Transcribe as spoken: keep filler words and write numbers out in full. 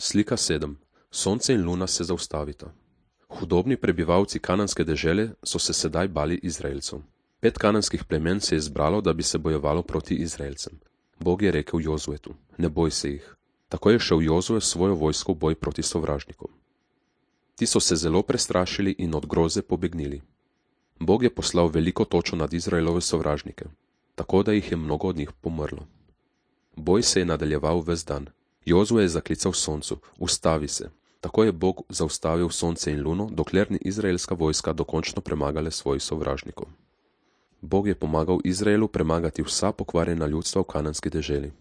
Slika sedem. Sonce in luna se zaustavita. Hudobni prebivalci kananske dežele so se sedaj bali Izraelcev. Pet kananskih plemen se je zbralo, da bi se bojevalo proti Izraelcem. Bog je rekel Jozuetu: ne boj se jih. Tako je šel Jozue s svojo vojsko v boj proti sovražnikom. Ti so se zelo prestrašili in od groze pobegnili. Bog je poslal veliko točo nad Izraelove sovražnike, tako da jih je mnogo od njih pomrlo. Boj se je nadaljeval ves dan. Jozue je zaklical soncu: ustavi se. Tako je Bog zaustavil sonce in luno, dokler ni izraelska vojska dokončno premagala svojih sovražnikov. Bog je pomagal Izraelu premagati vsa pokvarjena ljudstva v kananski deželi.